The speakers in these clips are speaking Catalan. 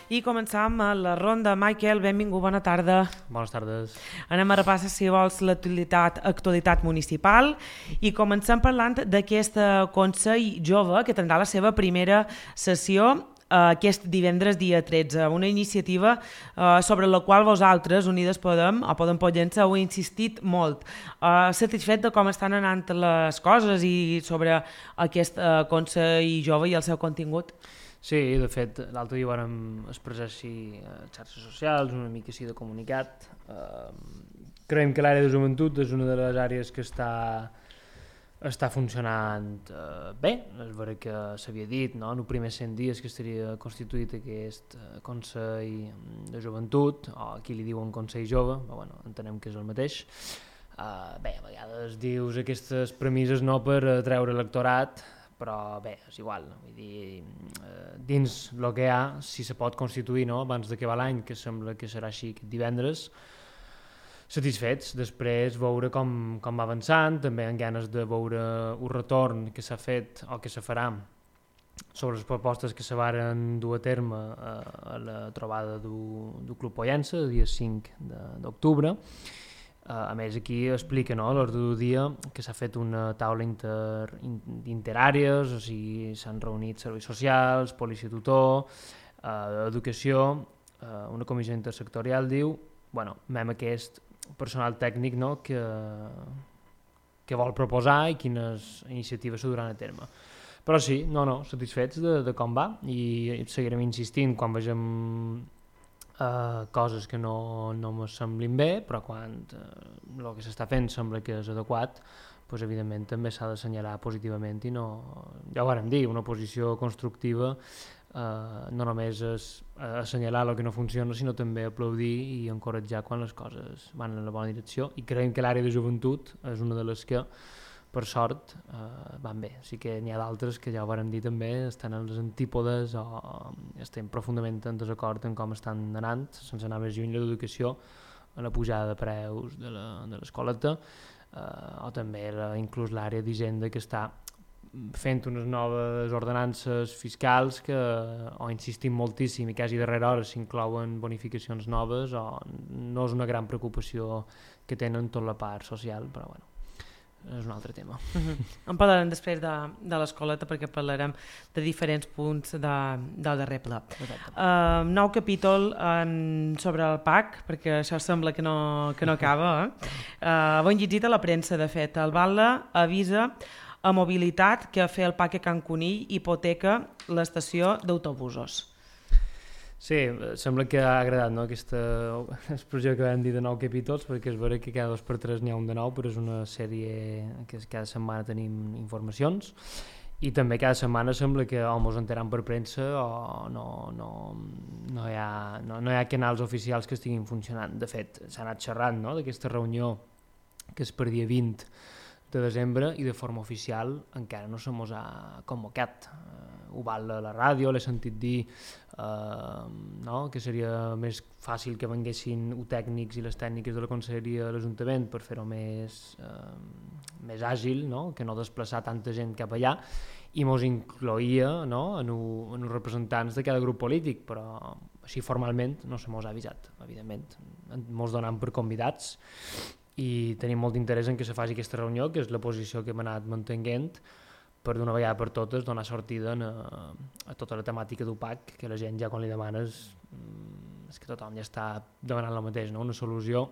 I començam a la ronda. Michael, benvingut, bona tarda. Bones tardes. Anem a repassar, si vols, l'actualitat municipal i comencem parlant d'aquest Consell Jove que tindrà la seva primera sessió aquest divendres dia 13, una iniciativa sobre la qual vosaltres, Unides Podem o Podem Pollença, heu insistit molt. Satisfet de com estan anant les coses i sobre aquest Consell Jove i el seu contingut? Sí, de fet, l'altre dia vam expressar així a xarxes socials, una mica així de comunicat. Creiem que l'àrea de joventut és una de les àrees que està funcionant bé. És vera que s'havia dit, no?, en els primers 100 dies que estaria constituït aquest Consell de Joventut, o aquí li diuen Consell Jove, però bueno, entenem que és el mateix. Bé, a vegades dius aquestes premisses no per treure electorat, però bé, és igual, vull dir, dins el que hi ha, si se pot constituir, no?, abans d'acabar l'any, que sembla que serà així aquest divendres, satisfets. Després veure com va avançant, també amb ganes de veure un retorn que s'ha fet o que se farà sobre les propostes que se varen dur a terme a la trobada del Club Pollença, el dia 5 d'octubre. A més, aquí explica, no?, a l'ordre del dia que s'ha fet una taula interàrees, o sigui, s'han reunit serveis socials, policia tutor, educació, una comissió intersectorial, diu, bueno, amb aquest personal tècnic, no?, que vol proposar i quines iniciatives se duran a terme. Però sí, satisfets de com va i seguirem insistint quan vegem coses que no me semblin bé, però quan el que s'està fent sembla que és adequat, doncs evidentment també s'ha d'assenyalar positivament i no, ja ho vàrem dir, una posició constructiva no només és assenyalar el que no funciona, sinó també aplaudir i encoratjar quan les coses van en la bona direcció, i creiem que l'àrea de joventut és una de les que per sort van bé. Sí que n'hi ha d'altres que ja ho vàrem dir també, estan a les antípodes o estem profundament en desacord en com estan anant, sense anar més lluny, l'educació, a la pujada de preus de l'escoleta, o també inclús l'àrea d'Hisenda, que està fent unes noves ordenances fiscals que o insistim moltíssim i quasi darrere hora s'inclouen bonificacions noves, o no és una gran preocupació que tenen tot la part social, però bueno, és un altre tema. En parlarem després de l'escoleta, perquè parlarem de diferents punts del darrer ple. Nou capítol sobre el PAC, perquè això sembla que no acaba. Ho han llegit a la premsa, de fet. El Batlle avisa a Mobilitat que fer el PAC a Can Conill hipoteca l'estació d'autobusos. Sí, sembla que ha agradat, no?, aquesta expressió que vam dir de 9 capítols, perquè és vera que cada 2 per 3 n'hi ha un de nou, però és una sèrie que cada setmana tenim informacions, i també cada setmana sembla que o mos enteram per premsa o no hi ha canals oficials que estiguin funcionant. De fet, s'ha anat xerrant, no?, d'aquesta reunió que és per dia 20 de desembre, i de forma oficial encara no se mos ha convocat. Ho val a la ràdio, l'he sentit dir que seria més fàcil que venguessin tècnics i les tècniques de la conselleria a l'Ajuntament per fer-ho més àgil, no?, que no desplaçar tanta gent cap allà, i mos incloïa, no?, en els representants de cada grup polític, però així formalment no se mos ha avisat, evidentment. Mos donen per convidats i tenim molt d'interès en que se faci aquesta reunió, que és la posició que hem anat mantenint, per d'una vegada per totes donar sortida a tota la temàtica d'UPAC, que la gent ja quan li demanes és que tothom ja està demanant el mateix, no?, una solució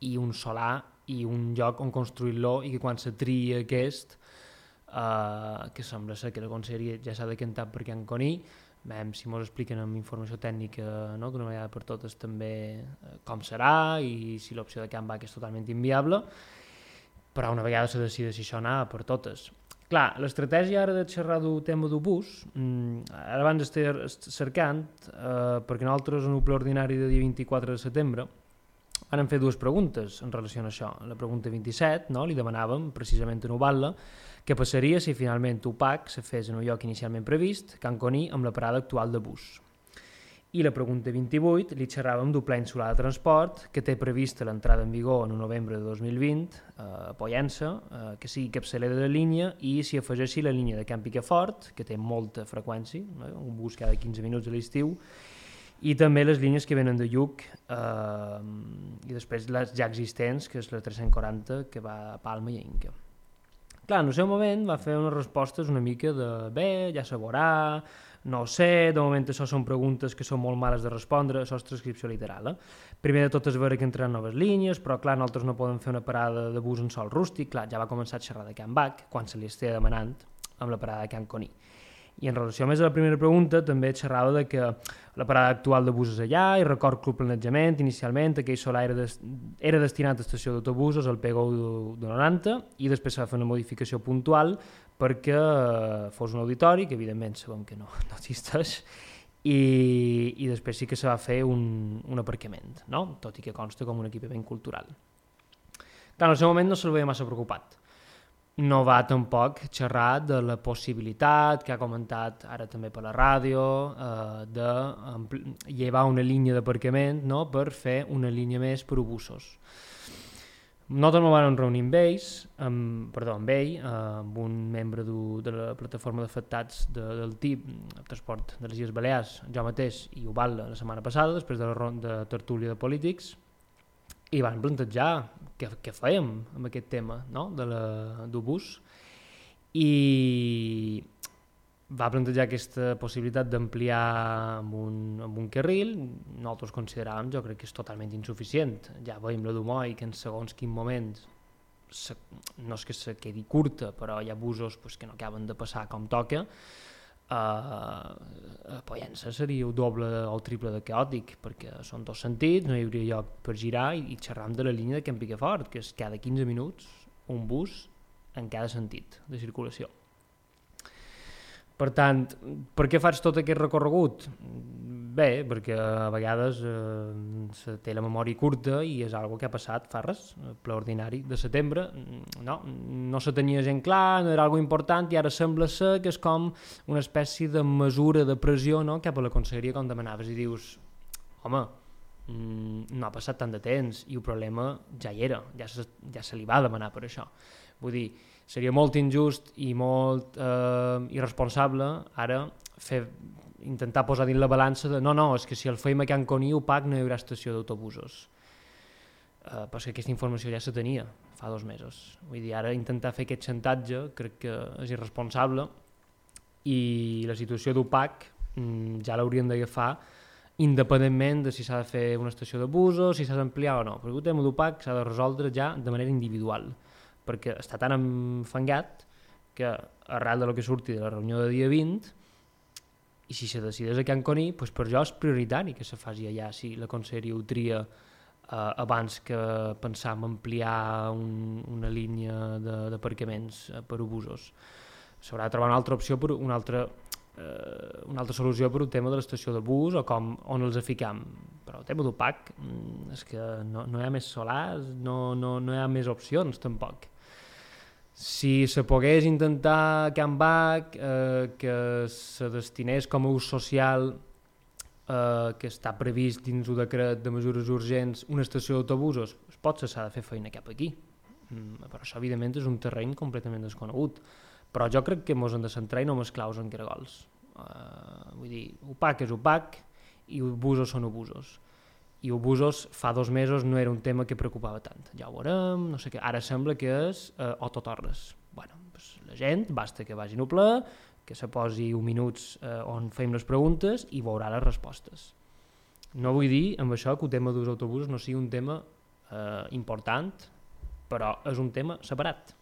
i un solar i un lloc on construir-lo, i que quan se tria aquest, que sembla ser que la conselleria ja s'ha decantat per Can Conill, veiem si ens expliquen amb informació tècnica, no?, d'una vegada per totes també com serà i si l'opció de Can Bac és totalment inviable, però una vegada se decideix si això anava per totes. Clar, l'estratègia ara de xerrar del tema del bus, ara abans estem cercant, perquè nosaltres en el ple ordinari de dia 24 de setembre vam fer 2 preguntes en relació a això. La pregunta 27, no?, li demanàvem precisament a Batlle què passaria si finalment UPAC se fes en el lloc inicialment previst, Can Conill, amb la parada actual de bus. I la pregunta 28 li xerràvem d'un pla insular de transport que té prevista l'entrada en vigor en novembre de 2020 a Pollença, que sigui capçalera de la línia i s'hi afegeixi la línia de Can Picafort, que té molta freqüència, un bus cada 15 minuts a l'estiu, i també les línies que venen de Lluc i després les ja existents, que és la 340 que va a Palma i a Inca. Clar, en el seu moment va fer unes respostes una mica de bé, ja se veurà, no ho sé, de moment això són preguntes que són molt males de respondre, això és transcripció literal. Primer de tot és veure que entraran noves línies, però clar, nosaltres no podem fer una parada de bus en sol rústic, clar, ja va començar a xerrar de Can Bac, quan se li estigui demanant amb la parada de Can Coní. I en relació més a la primera pregunta també xerrava de que la parada actual de bus és allà i record que el planejament inicialment aquell solar era destinat a estació d'autobusos al PGO de 90 i després s'ha de fer una modificació puntual perquè fos un auditori, que evidentment sabem que no existeix, i després sí que se va fer un aparcament, no? Tot i que consta com un equipament cultural. Clar, en el seu moment no se'l veia massa preocupat. No va tampoc xerrar de la possibilitat, que ha comentat ara també per la ràdio, de llevar una línia d'aparcament, no?, per fer una línia més per autobusos. Nosaltres ens vam reunir amb ell, amb un membre de la plataforma d'afectats del TIP, el transport de les Illes Balears, jo mateix i Ubal la setmana passada, després de tertúlia de polítics, i van plantejar què fèiem amb aquest tema, no?, del bus, i va plantejar aquesta possibilitat d'ampliar amb un carril. Nosaltres consideràvem, jo crec que és totalment insuficient. Ja veiem la d'Humoi, que en segons quin moment no és que se quedi curta, però hi ha busos que no acaben de passar com toca. A Pollença seria el doble o el triple de caòtic, perquè són dos sentits, no hi hauria lloc per girar, i xerram de la línia de Can Picafort, que és cada 15 minuts un bus en cada sentit de circulació. Per tant, per què faig tot aquest recorregut? Bé, perquè a vegades se té la memòria curta i és algo que ha passat fa res, ple ordinari de setembre, no se tenia gent clar, no era algo important, i ara sembla ser que és com una espècie de mesura de pressió, no?, cap a la conselleria, com demanaves, i dius, home, no ha passat tant de temps i el problema ja hi era, ja se li va demanar per això. Vull dir, seria molt injust i molt irresponsable ara intentar posar dins la balança de no, és que si el feim a Can Coní o PAC no hi haurà estació d'autobusos. Perquè aquesta informació ja se tenia fa 2 mesos. Vull dir, ara intentar fer aquest xantatge crec que és irresponsable, i la situació d'UPAC ja l'hauríem d'agafar independentment de si s'ha de fer una estació d'autobusos, si s'ha d'ampliar o no. Perquè el tema d'UPAC s'ha de resoldre ja de manera individual, perquè està tan enfangat que arrel del que surti de la reunió de dia 20, i si se decideix a Can Coní, doncs per jo és prioritari que se faci allà, si la conselleria ho tria abans que pensar en ampliar una línia d'aparcaments per autobusos. S'haurà de trobar una altra opció, una altra solució per un tema de l'estació de bus o on els ficam. Però el tema d'UPAC és que no hi ha més solars, no hi ha més opcions tampoc. Si se pogués intentar a Can Bac que se destinés com a ús social que està previst dins el decret de mesures urgents una estació d'autobusos, potser s'ha de fer feina cap aquí, però això evidentment és un terreny completament desconegut. Però jo crec que ens hem de centrar i no mesclaus en caragols. Vull dir, UPAC és UPAC i obusos són obusos. I obusos fa 2 mesos no era un tema que preocupava tant. Ja ho veurem, no sé què. Ara sembla que és o tot o res. Bueno, doncs la gent basta que vagin al ple, que se posi 1 minuts on fem les preguntes i veurà les respostes. No vull dir amb això que el tema dels autobusos no sigui un tema important, però és un tema separat.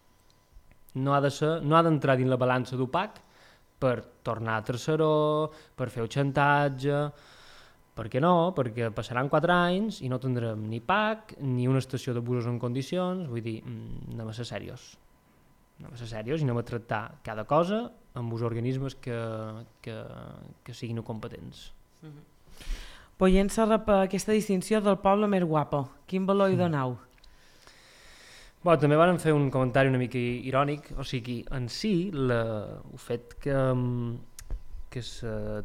No ha d'entrar dins la balança d'UPAC per tornar a terceró, per fer el xantatge. Per què no? Perquè passaran 4 anys i no tindrem ni PAC ni una estació de busos en condicions. Vull dir, anem a ser serios. Anem a ser serios i anem a tractar cada cosa amb els organismes que siguin competents. Pollença rep aquesta distinció del poble més guapo. Quin valor hi donau? També van fer un comentari una mica irònic, o sigui, en si el fet que que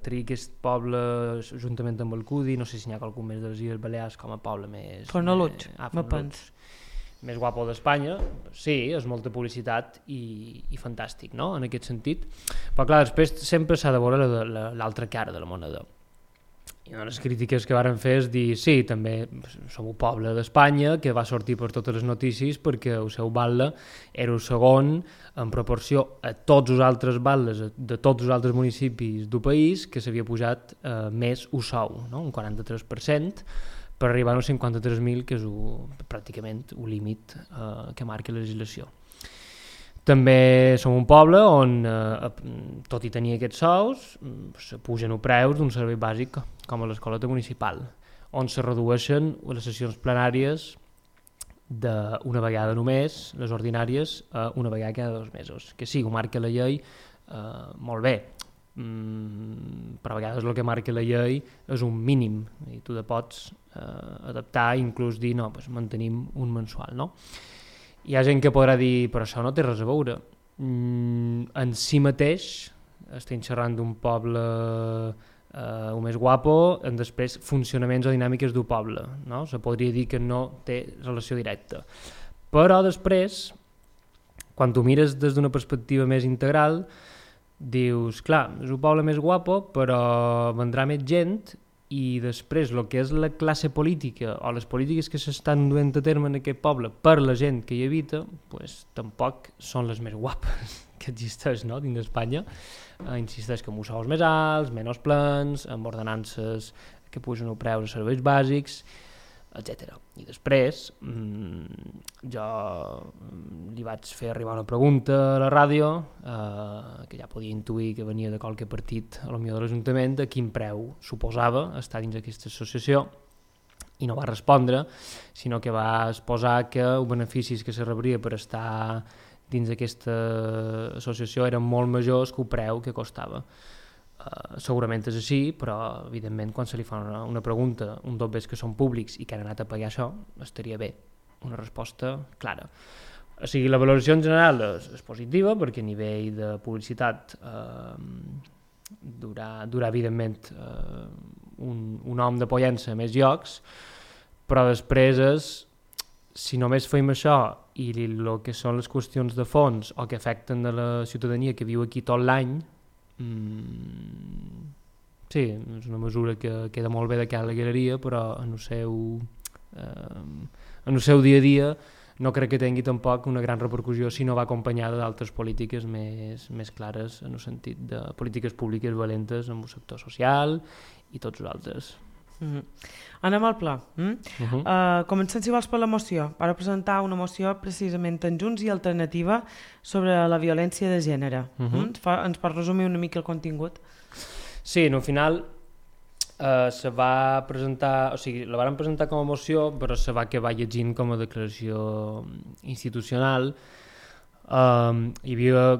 tria aquest poble juntament amb el Cudi, no sé si n'hi ha qualcun més de les Illes Balears com a poble més... Fornalutx, me pens. Més guapo d'Espanya, sí, és molta publicitat i fantàstic, no?, en aquest sentit. Però clar, després sempre s'ha de veure l'altra cara de la moneda. I una de les crítiques que varen fer és dir, sí, també som un poble d'Espanya que va sortir per totes les notícies perquè el seu batle era el segon en proporció a tots els altres batlles de tots els altres municipis del país que s'havia pujat més el sou, no? Un 43%, per arribar als 53.000, que és pràcticament el límit que marca la legislació. També som un poble on, tot i tenir aquests sous, se pugen els preus d'un servei bàsic com a l'escoleta municipal, on se redueixen les sessions plenàries d'una vegada només, les ordinàries, una vegada cada 2 mesos. Que sí, ho marca la llei, molt bé, però a vegades el que marca la llei és un mínim i tu te pots adaptar i inclús dir no, doncs mantenim un mensual, no? Hi ha gent que podrà dir però això no té res a veure. En si mateix estem xerrant d'un poble el més guapo, en després funcionaments o dinàmiques del poble, no? Se podria dir que no té relació directa, però després quan tu mires des d'una perspectiva més integral dius, clar, és un poble més guapo, però vendrà més gent i després el que és la classe política o les polítiques que s'estan duent a terme en aquest poble per la gent que hi habita, pues, tampoc són les més guapes que existeix, no?, dins d'Espanya. Insisteix que amb sous més alts, menys plans, amb ordenances que pugen el preu de serveis bàsics, etc. I després jo li vaig fer arribar una pregunta a la ràdio que ja podia intuir que venia de qualque partit a lo millor de l'Ajuntament de quin preu suposava estar dins d'aquesta associació i no va respondre, sinó que va exposar que els beneficis que se rebria per estar dins d'aquesta associació eren molt majors que el preu que costava. Segurament és així, però evidentment quan se li fa una pregunta, un dobbers que són públics i que han anat a pagar això, estaria bé una resposta clara. O sigui, la valoració en general és positiva perquè a nivell de publicitat durà evidentment un nom de pollença a més llocs, però després és, si només fem això i el que són les qüestions de fons o que afecten a la ciutadania que viu aquí tot l'any, sí, és una mesura que queda molt bé de cara a la galeria, però en el seu dia a dia no crec que tingui tampoc una gran repercussió si no va acompanyada d'altres polítiques més clares en el sentit de polítiques públiques valentes amb el sector social i tots els altres. Anem al pla. Comencem, si vols, per la moció. Para presentar una moció precisament en Junts i Alternativa sobre la violència de gènere. Ens pots resumir una mica el contingut? Sí, al final se va presentar, o sigui, la van presentar com a moció, però se va acabar llegint com a declaració institucional. Hi havia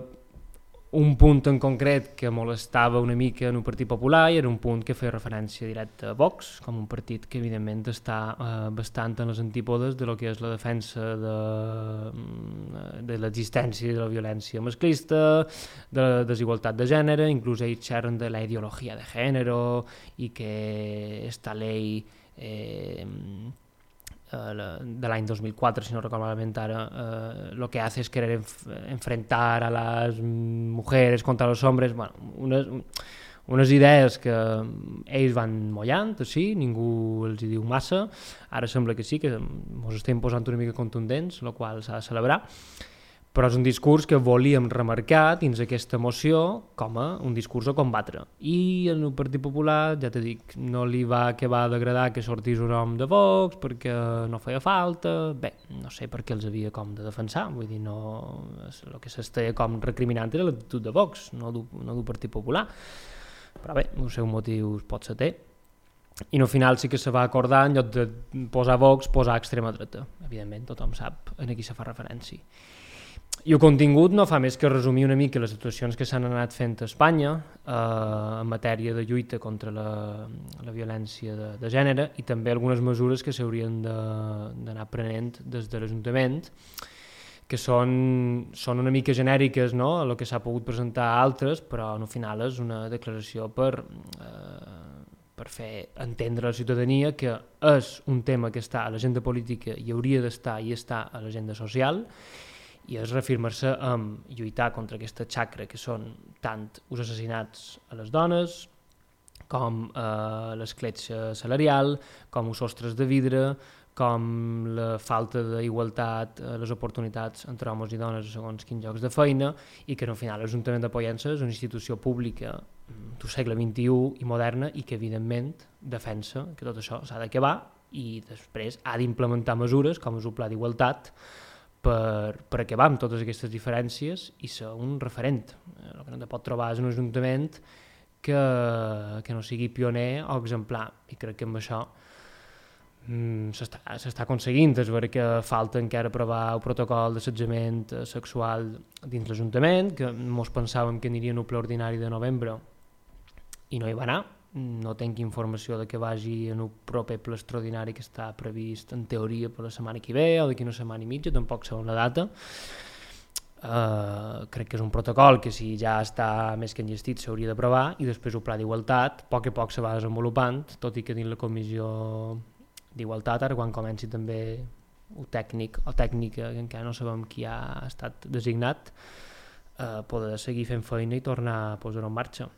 un punt en concret que molestava una mica en un Partit Popular i era un punt que feia referència directa a Vox, com un partit que evidentment està bastant en les antípodes de lo que és la defensa de l'existència de la violència masclista, de la desigualtat de gènere, inclús ells xerren de la ideologia de gènere i que esta llei de l'any 2004, si no recuerdo malament ara, lo que hace es querer enfrentar a las mujeres contra los hombres, bueno, unes idees que ells van mollant, sí, ningú els hi diu massa, ara sembla que sí, que ens estem posant una mica contundents, el qual s'ha de celebrar, però és un discurs que volíem remarcar dins aquesta moció com a un discurs a combatre. I en el Partit Popular, ja t'he dit, no li va acabar d'agradar que sortís un nom de Vox perquè no feia falta, bé, no sé per què els havia com de defensar, vull dir, no, el que s'estava com recriminant era l'actitud de Vox, no del Partit Popular, però bé, els seus motius pot ser té. I al final sí que se va acordar, en lloc de posar Vox, posar extrema dreta. Evidentment, tothom sap a qui se fa referència. I el contingut no fa més que resumir una mica les actuacions que s'han anat fent a Espanya en matèria de lluita contra la violència de gènere i també algunes mesures que s'haurien d'anar prenent des de l'Ajuntament, que són una mica genèriques, no?, a el que s'ha pogut presentar a altres, però al final és una declaració per fer entendre a la ciutadania que és un tema que està a l'agenda política i hauria d'estar i està a l'agenda social, i és reafirmar-se amb lluitar contra aquesta xacra que són tant els assassinats a les dones com l'escletxa salarial, com els sostres de vidre, com la falta d'igualtat, les oportunitats entre homes i dones segons quins llocs de feina, i que al final l'Ajuntament de Pollença és una institució pública del segle XXI i moderna i que evidentment defensa que tot això s'ha d'acabar i després ha d'implementar mesures com és el Pla d'Igualtat per acabar amb totes aquestes diferències i ser un referent. El que no te pot trobar és un ajuntament que no sigui pioner o exemplar, i crec que amb això s'està aconseguint. És vera que falta encara aprovar el protocol d'assetjament sexual dins l'Ajuntament, que mos pensàvem que aniria en el ple ordinari de novembre i no hi va anar. No tinc informació de que vagi en el proper ple extraordinari que està previst en teoria per la setmana que ve o d'aquí una setmana i mitja, tampoc sé la data. Crec que és un protocol que si ja està més que enllestit s'hauria d'aprovar, i després el Pla d'Igualtat a poc se va desenvolupant, tot i que dins la comissió d'Igualtat, ara quan comenci també el tècnic o tècnica, que encara no sabem qui ha estat designat, poder seguir fent feina i tornar a posar-ho en marxa.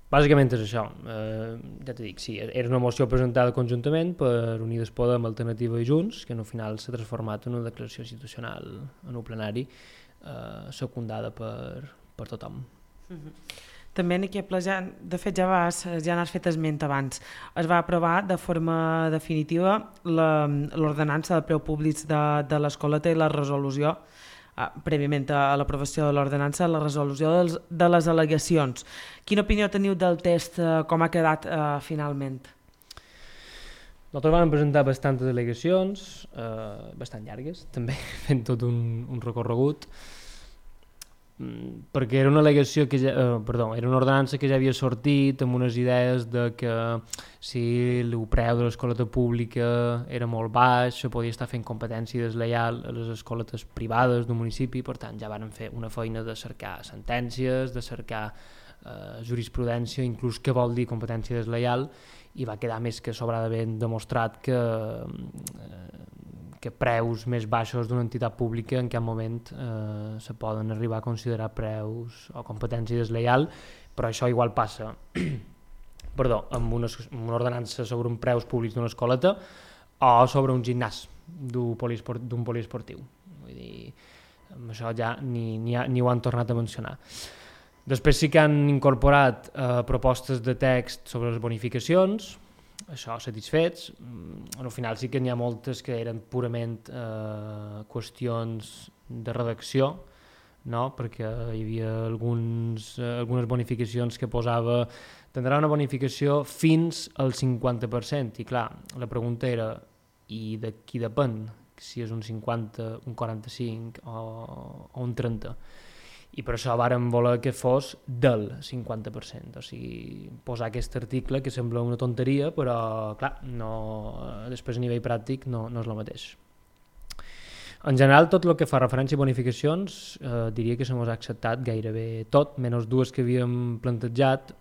Bàsicament és això. Ja t'he dit, sí, era una moció presentada conjuntament per Unides Podem, Alternativa i Junts, que al final s'ha transformat en una declaració institucional en un plenari secundada per tothom. També en aquest ple, de fet ja n'has fet esment abans, es va aprovar de forma definitiva l'ordenança de preus públics de l'escoleta i la resolució, prèviament a l'aprovació de l'ordenança, la resolució de les al·legacions. Quina opinió teniu del text, com ha quedat finalment? Nosaltres vam presentar bastantes al·legacions, bastant llargues, també fent tot un recorregut, perquè era una al·legació era una ordenança que ja havia sortit amb unes idees de que si el preu de l'escoleta pública era molt baix, se podia estar fent competència deslleial a les escoletes privades d'un municipi. Per tant, ja van fer una feina de cercar sentències, de cercar jurisprudència, inclús què vol dir competència deslleial, i va quedar més que sobradament demostrat que preus més baixos d'una entitat pública en cap moment se poden arribar a considerar preus o competència deslleial, però això igual passa amb una ordenança sobre un preus públics d'una escoleta o sobre un gimnàs d'un poliesportiu. Vull dir, amb això ja ni ho han tornat a mencionar. Després sí que han incorporat propostes de text sobre les bonificacions, això satisfets. Al final sí que n'hi ha moltes que eren purament qüestions de redacció, no? Perquè hi havia algunes bonificacions que posava tindrà una bonificació fins al 50%, i clar, la pregunta era i de qui depèn, si és un 50, un 45 o un 30%. I per això vàrem voler que fos del 50%, o sigui, posar aquest article que sembla una tonteria, però clar, després a nivell pràctic no és el mateix. En general, tot el que fa referència a bonificacions, diria que se mos ha acceptat gairebé tot, menys dues que havíem plantejat.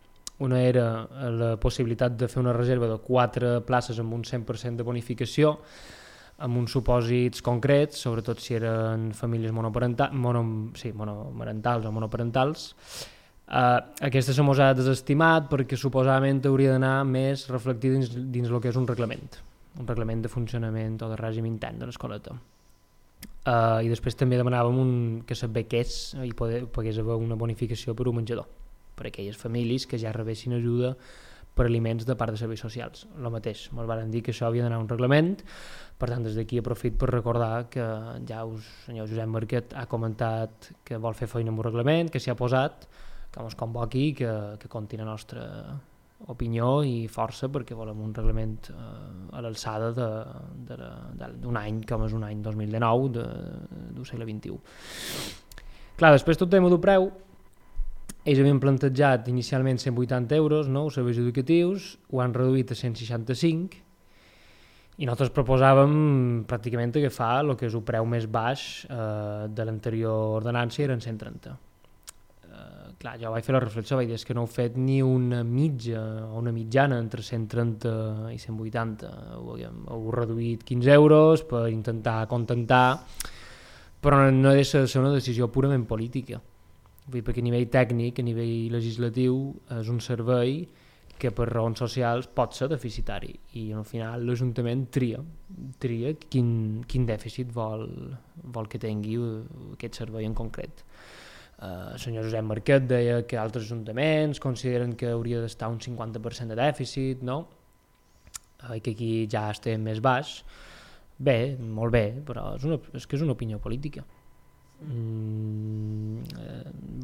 Una era la possibilitat de fer una reserva de 4 places amb un 100% de bonificació, amb uns supòsits concrets, sobretot si eren famílies monomarentals o monoparentals. Aquesta se mos ha desestimat perquè suposadament hauria d'anar més reflectit dins el que és un reglament de funcionament o de règim intern de l'escoleta. I després també demanàvem que s'adbequés i pogués haver una bonificació per un menjador, per a aquelles famílies que ja rebessin ajuda per aliments de part de serveis socials. El mateix, ens van dir que això havia d'anar a un reglament. Per tant, des d'aquí aprofit per recordar que ja el senyor Josep Marquet ha comentat que vol fer feina amb un reglament, que s'hi ha posat, que ens convoqui, que compti la nostra opinió i força, perquè volem un reglament a l'alçada d'un any com és un any 2019 del segle XXI. Clar, després tot tema del preu, ells havien plantejat inicialment 180 euros, no? Els serveis educatius ho han reduït a 165, I nosaltres proposàvem pràcticament agafar el que és el preu més baix de l'anterior ordenança, eren 130. Clar, jo vaig fer la reflexió, vaig dir que no heu fet ni una mitja o una mitjana entre 130 i 180. Heu reduït 15 euros per intentar acontentar, però no ha de ser una decisió purament política. Vull dir, perquè a nivell tècnic, a nivell legislatiu, és un servei que per raons socials pot ser deficitari i al final l'Ajuntament tria quin dèficit vol que tingui aquest servei en concret. El senyor Josep Marquet deia que altres ajuntaments consideren que hauria d'estar un 50% de dèficit, no? I que aquí ja estem més baix. Bé, molt bé, però és que és una opinió política.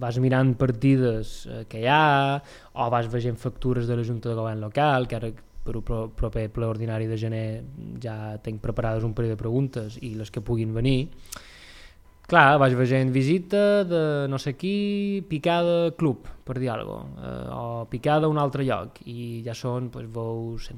Vas mirant partides que hi ha, o vas veient factures de la Junta de Govern local, que ara per el proper ple ordinari de gener ja tinc preparades un parell de preguntes i les que puguin venir. Clar, vaig veient visita de no sé qui, picada club, per dir alguna cosa, o picada a un altre lloc, i ja són, doncs, veus